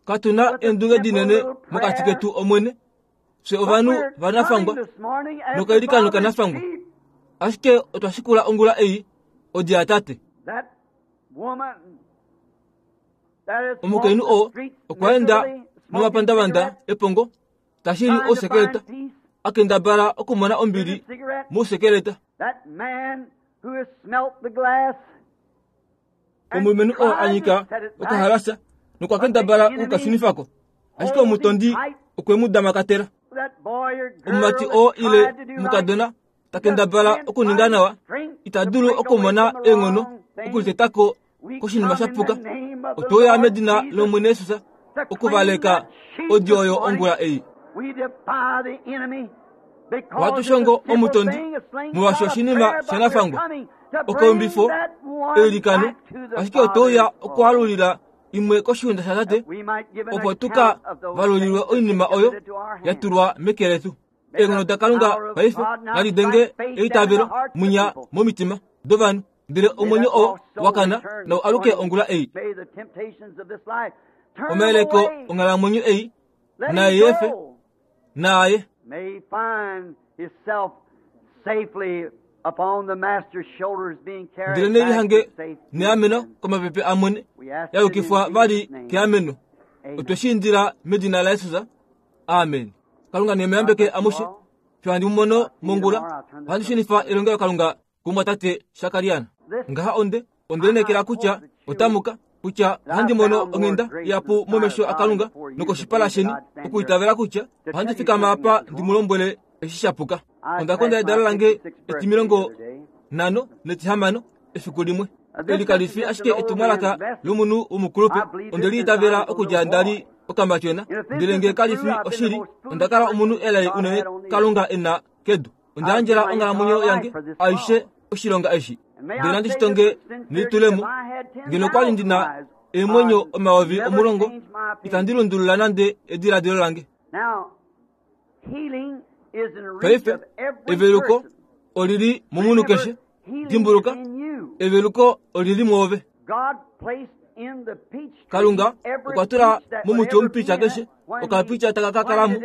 Katu na eendunge dinene mokati ketu, Omwene. Fye ovanhu vanafangwa nokailikano kanafangwa. Ashike otwa shikula ongula ei odi yaTate. Omukainhu oo okwa enda nomapandavanda epongo ta shili ousekeleta, a kendabala okumona ombili mousekeleta. Omulumenhu oo a nyika okahalasa nokwa kendabala oku ka shunifa ko, ashike omutondi okwe mu damakatela. Omumati oo ile omukadona ta kendabala okuninga nawa ita dulu okumona eenghono okuliteta ko koshinima sha puka. Otwe uya medina lOmwene Jesus okuvaleka odi oyo ongula ei. Ohatu shongo omutondi molwaashi oshinima shanafangwa okaumbifo eilikano, ashike otwe uya okualulila imwe koshiunda shaTate opo tu ka valulilwe oinima oyo ya tulwa meke letu. Eenghono daKalunga paife nadi denge eitavelo munya momitima dovanhu, ndele omwenyo oo wa kana nau aluke ongula ei. Omayeleko onghalamwenyo ei nae efe naaye. Ndele ne lihange neameno komapepe amwene, ya yukifwa vali keameno. Otwe shi indila medina laJesus. Amen. Kalunga ne mu yambeke amushe. Fiyo handi mu mono mongula, ohandi shunifa elongelokalunga kumwatate Shakarian. Ngaha onde, onde lineekela kutya otamu ka, kutya ohandi mono onghenda ihapu momesho aKalunga nokoshipala sheni, okuitavela kutya ohandi fikama apa ndi mu lombwele eshi sha puka. Onda konda edalo lange etimilongo nhano netihamano efiku limwe. Eli kali fi ashike etumwalaka lomunhu womukulupe. Onde li itavela okudja nda li okamatyona, ndele nge kali fi oshili, onda kala omunhu elai unene Kalunga e na kedu. Onda yandjela onghalamwenyo yange aishe oshilonga eshi, ndele nandi shi tonge nelitulemo. Ngeno okwa li ndi na eemwenyo 10,000, itandi lundulula nande ediladilo lange. Paife, eveluko oli li momunhu keshe. Dimbuluka, eveluko oli li mwoove. Kalunga okwa tula momuti womupitya keshe okapitya taka ka kala mo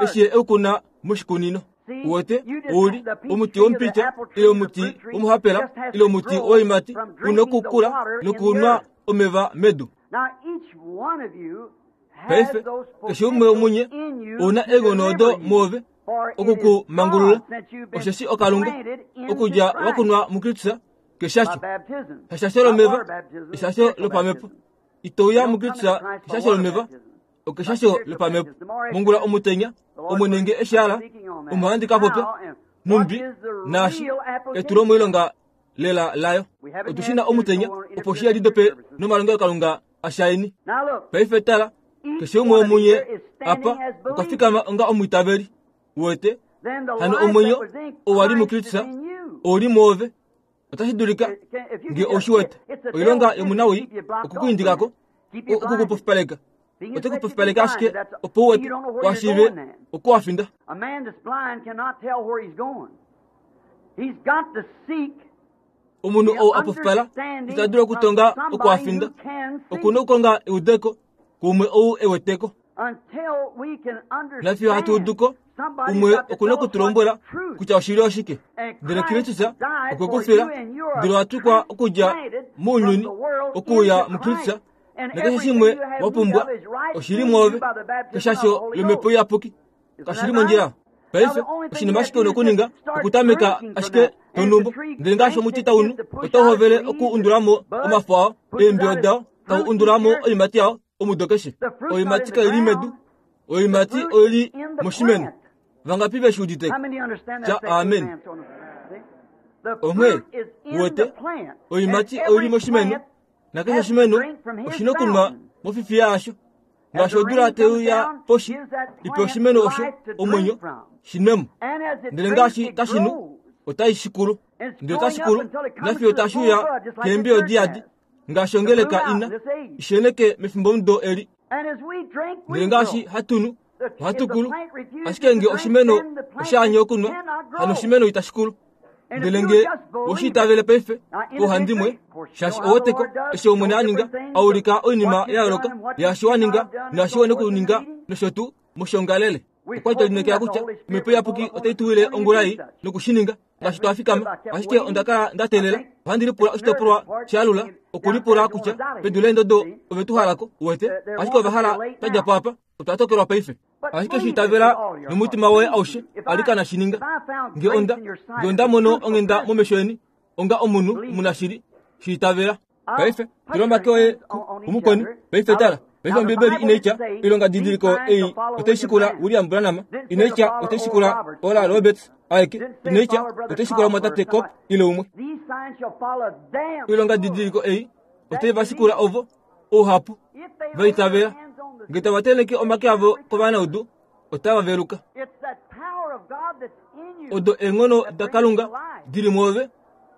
eshi ye e u kuna moshikunino. Uwete, ou li omuti womupitya ile omuti womuhapela ile omuti woiimati u nokukula nokunwa omeva medu. Paife, keshe umwe womunye ou na eenghono odo mwoove oku ku mangulula, osheshi oKalunga, okudja wa kunwa muKristus keshasho, heshasho lomeva, eshasho lopamhepo. Ito uya muKristus keshasho lomeva, okeshasho lopamhepo. Mongula omutenya, Omwene nge eshi ala, omo handi ka popya, nhumbi naashi, etulomoilonga lela layo. Otu shi na omutenya, opo shi yadidope nomalongelokalunga ashaini. Paife tala, keshe umwe womunye apa okwa fikama onga omwiitaveli. Uwete? Hano omwenyo oo wa li muKristus ou li mwoove. Otashi dulika nge ou shi wete. Oilonga yomunawii oku ku indika ko, oku ku pofipaleka. Ote ku pofipaleke ashike opo u wete, wa shiive oko wa finda. Omunhu ou a pofipala ita dulu okutonga oko a finda. Oku na okukonga eudeko kuumwe ou e weteko. Nafiyo hatu udu ko, umwe oku na oku tu lombwela kutya oshili oshike. Ndele Kristus okwe ku fila, ndele owa twikwa okudja mounyuni okuuya muKristus, nakeshe shimwe wa pumbwa oshili mwoove keshasho lomhepo iyapuki. Kashi li mondjila. Paife, oshinima ashike u na okuninga okutameka ashike tonumbo. Ndele ngaashi omuti tau nu, otau hovele oku undula mo omafo ao, eembiyo dao, tau undula mo oiimati yao omudo keshe. Oiimati kai li medu, oiimati oi li moshimeno. Vangapi ve shi udite ko? Tya amen. Onghee, uwete, oiimati oi li moshimeno, nakeshe oshimeno oshi na okunwa mofifiya yasho. Ngaashi odula tai uya poshi, ipe oshimeno osho omwenyo, shi nwe mo. Ndele ngaashi tashi nu, otai shikulu. Ndele otashi kulu, nafiyo tashi uya keembiyo diyadi, ngaashi ongeleka ina, isheneke mefimbomudo eli. Ndele ngaashi hatu nu, ohatu kulu. Ashike nge oshimeno osha anye okunwa, hano oshimeno itashi kulu. Ndele nge we shi itavele paife pauhandimwe, shaashi ou wete ko eshi Omwene a ninga, a ulika oinima ya yooloka yaashi wa ninga naashi we nokuninga nosho tuu moshiongalele. Okwa li twa lineekela kutya Omhepo Iyapuki otai tu wile ongula ei noku shi ninga ngaashi twa fikama. Ashike onda kala nda teelela. Ohandi lipula oshitopolwa sha alula, okulipula kutya pedu leendodo ove tu hala ko, uwete. Ashike ova hala twa dja po apa. Otwa tokelwa paife. Ashike shi itavela nomutima woye aushe, alikana shi ninga. Nge onda, nge onda mono onghenda momesho eni, onga omunhu omunashili, shi itavela. Paife, tula omake oye kumukweni. Paife tala. Paife Ombibeli inai tya, Oilongadidiliko ei otai shikula William Branham. Inai tya otai shikula Oral Roberts aeke. Inai tya otai shikula omwatate Kopp ile umwe. Oilongadidiliko ei otai va shikula ovo ouhapu va itavela. Nge tava tenheke omake avo kovanaudu, otava veluka. Odo eenghono daKalunga di li mwoove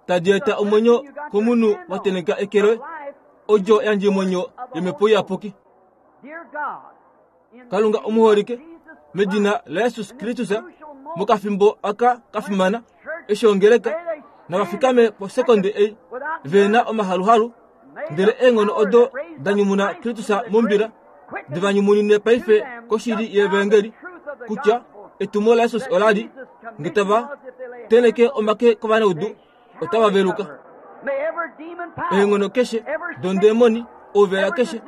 tadi eta omwenyo komunhu wa tenheka eke loye, odjo yandjemwenyo yOmhepo Iyapuki. Kalunga omuholike, medina laJesus Kristus, mokafimbo aka ka fimana, eshi ongeleka nava fikame posekonde ei ve na omahaluhalu, ndele eenghono odo da nyumuna Kristus mombila di va nyumunine paife koshili yevangeli kutya etumo laJesus ola li nge tava tenheke omake kovanaudu otava veluka. Eenghono keshe dondemoni, ouvela keshe,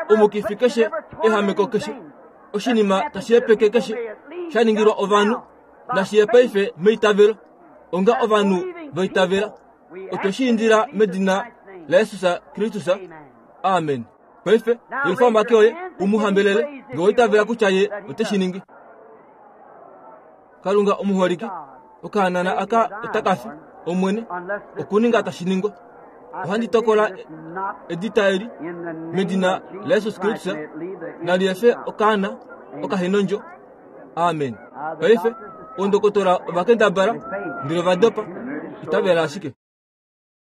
omukifi keshe, ehameko keshe, oshinima tashi hepeke keshe sha ningilwa ovanhu nashi ye paife meitavelo onga ovanhu va itavela. Otwe shi indila medina laJesus Kristus. Amen. Paife, yelufa omake oye u mu hambelele, nge owa itavela kutya ye ote shi ningi. Kalunga omuholike, okahanana aka otaka fi, Omwene, okuninga tashi ningwa. Ohandi tokola edita eli medina laJesus Kristus, nali efe okaana okahenondjo. Amen. Paife, oondokotola ova kendabala, ndele ova dopa. Itavela ashike.